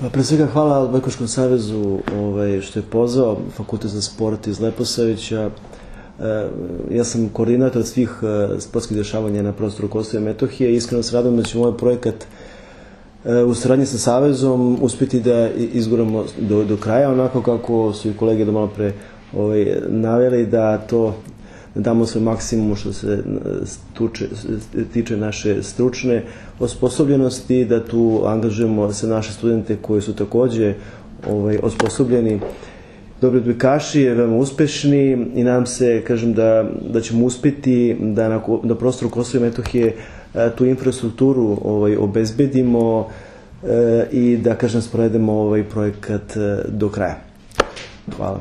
Pa pre svega hvala Odbojkaškom savezu što je pozvao Fakultet za sport iz Leposavića. Ja sam koordinator svih sportskih dešavanja na prostoru Kosova i Metohije i iskreno se radujem da ćemo ovaj projekat u saradnji sa Savezom uspjeti da izguramo do kraja, onako kako su i kolege do malo pre naveli, da to damo svoj maksimum što se tiče naše stručne osposobljenosti, da tu angažujemo sve naše studente koji su takođe osposobljeni, dobri odbojkaši, veoma uspešni i nadam se, kažem, da ćemo uspjeti da na prostoru Kosova i Metohije tu infrastrukturu obezbedimo i da, kažem, sprovedemo ovaj projekat do kraja. Hvala.